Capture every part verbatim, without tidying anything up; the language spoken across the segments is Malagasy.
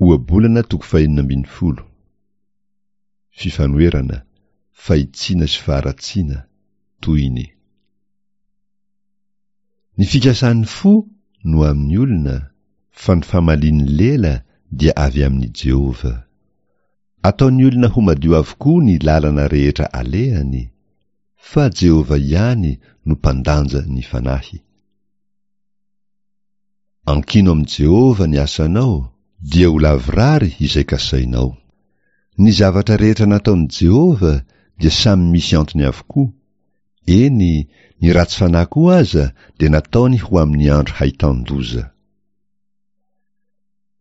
Ohabolana toko fahenina ambin'ny folo. Fifanoherana, fahitsiana sy faharatsiana, tohiny. Ny fikasan'ny fo no amin'ny olona, fa ny famalian'ny lela dia avy amin'i Jehovah. Ataon'ny olona ho madio avokoa ny lalana rehetra alehany, fa Jehovah ihany no mpandanja ny fanahy. Ankino amin'i Jehovah ny asanao, dia ho lavorary izay kasainao. Ny zavatra rehetra nataon'i Jehovah dia samy misy antony avokoa, eny, ny ratsy fanahy koa aza dia nataony ho amin'ny andro hahitan-doza.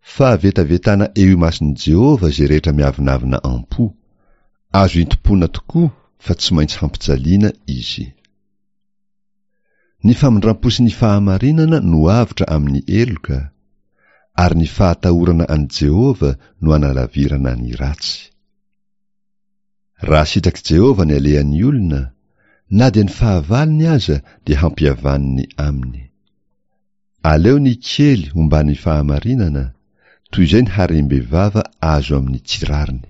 Fahavetavetana eo imason'i Jehovah izay rehetra miavonavona am-po. Azo intom-pona tokoa fa tsy maintsy hampijaliana izy. Ny famindram-po sy ny fahamarinana no avotra amin'ny heloka, ary ny fahatahorana an'i Jehovah no analavirana ny ratsy. Raha sitrak'i Jehovah ny alehan'ny olona, na dia ny fahavalony aza dia hampihavaniny aminy. Aleo ny kely omban'ny fahamarinana, toy izay ny harem-bevava azo amin'ny tsy rariny.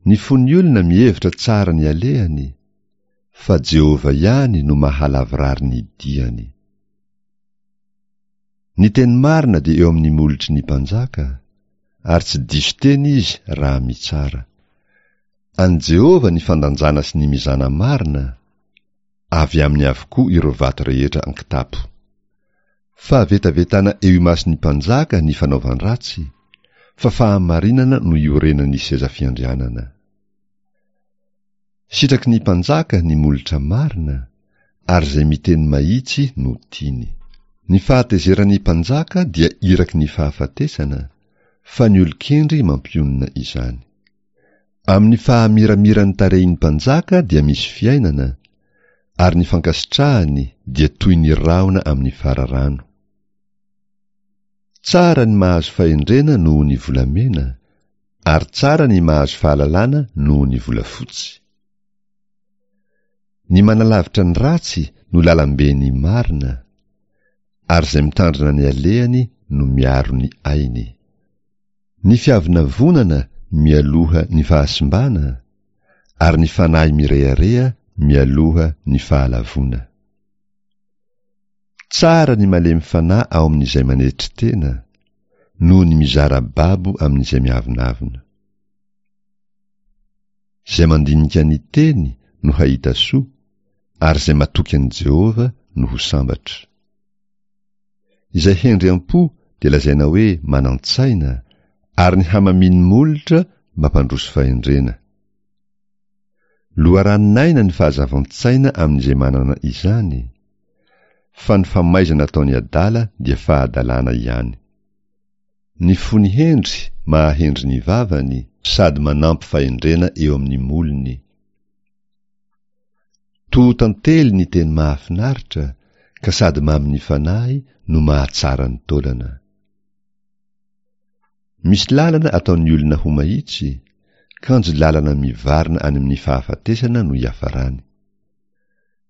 Ny fon'ny olona mihevitra tsara ny alehany, fa Jehovah ihany no mahalavorary ny diany. Ny teny marina dia eo amin'ny molotry ny mpanjaka, ary tsy diso teny izy raha mitsara. An'i Jehovah ny fandanjana sy ny mizana marina, avy aminy avokoa ireo vato rehetra an-kitapo. Fahavetavetana eo imason'ny mpanjaka ny fanaovan-dratsy, fa fahamarinana no iorenan'ny seza fiandrianana. Sitraky ny mpanjaka ny molotra marina, ary izay miteny mahitsy no tiany. Ny fahatezeran'ny mpanjaka dia iraky ny fahafatesana, fa ny olon-kendry mampionona izany. Amin'ny fahamiramiran'ny tarehin'ny mpanjaka dia misy fiainana, ary ny fankasitrahany dia toy ny rahona amin'ny fararano. Tsara ny mahazo fahendrena noho ny volamena, ary tsara ny mahazo fahalalana noho ny volafotsy. Ny manalavitra ny ratsy no lalamben'ny marina, ary izay mitandrina ny alehany no miaro ny ainy. Ny fiavonavonana mialoha ny fahasimbana, ary ny fanahy mirehareha mialoha ny fahalavoana. Tsara ny malemy fanahy ao amin'izay manetry tena, noho ny mizara babo amin'izay miavonavona. Izay mandinika ny teny no hahita soa, ary izay matoky an'i Jehovah no ho sambatra. Izay hendry am-po dia lazaina hoe manan-tsaina, ary ny hamamin'ny molotra mampandroso fahendrena. Loharanon'aina ny fahazavan-tsaina amin'izay manana izany, fa ny famaizana ataon'ny adala dia fahadalana ihany. Ny fony hendry mahahendry ny vavany, sady manampy fahendrena eo amin'ny molony. Toho tantely ny teny mahafinaritra, ka sady mamin'ny fanahy no mahatsara ny taolana. Misy lalana ataon'ny olona ho mahitsy, kanjo lalana mivarina any amin'ny fahafatesana no iafarany.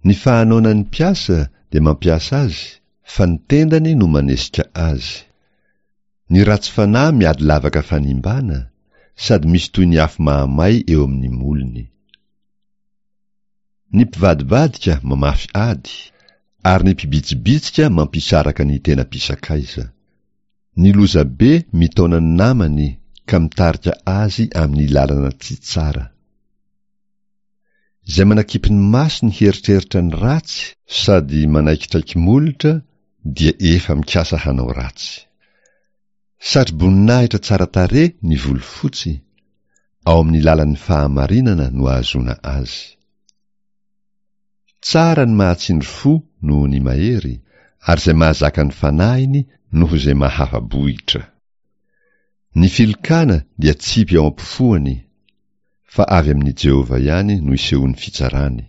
Ny fahanoanan'ny mpiasa dia mampiasa azy, fa ny tendany no manesika azy. Ny ratsy fanahy miady lavaka fanimbana, sady misy toy ny afo mahamay eo amin'ny molony. Ny mpivadibadika mamafy ady, ary ny mpibitsibitsika mampisaraka ny tena mpisakaiza. Ny lozabe mitaona ny namany ka mitarika azy amin'ny lalana tsy tsara. Izay manakipy ny masony hieritreritra ny ratsy sady manaikitraiky molotra dia efa mikasa hanao ratsy. Satroboninahitra tsara tarehy ny volo fotsy, ao amin'ny lalan'ny fahamarinana no ahazoana azy. Tsara ny mahatsindry fo noho ny mahery, ary izay mahazaka ny fanahiny noho izay mahafa-bohitra. Ny filokana dia tsipy ao am-pofoany, fa avy amin'i Jehovah ihany no isehoan'ny fitsarany.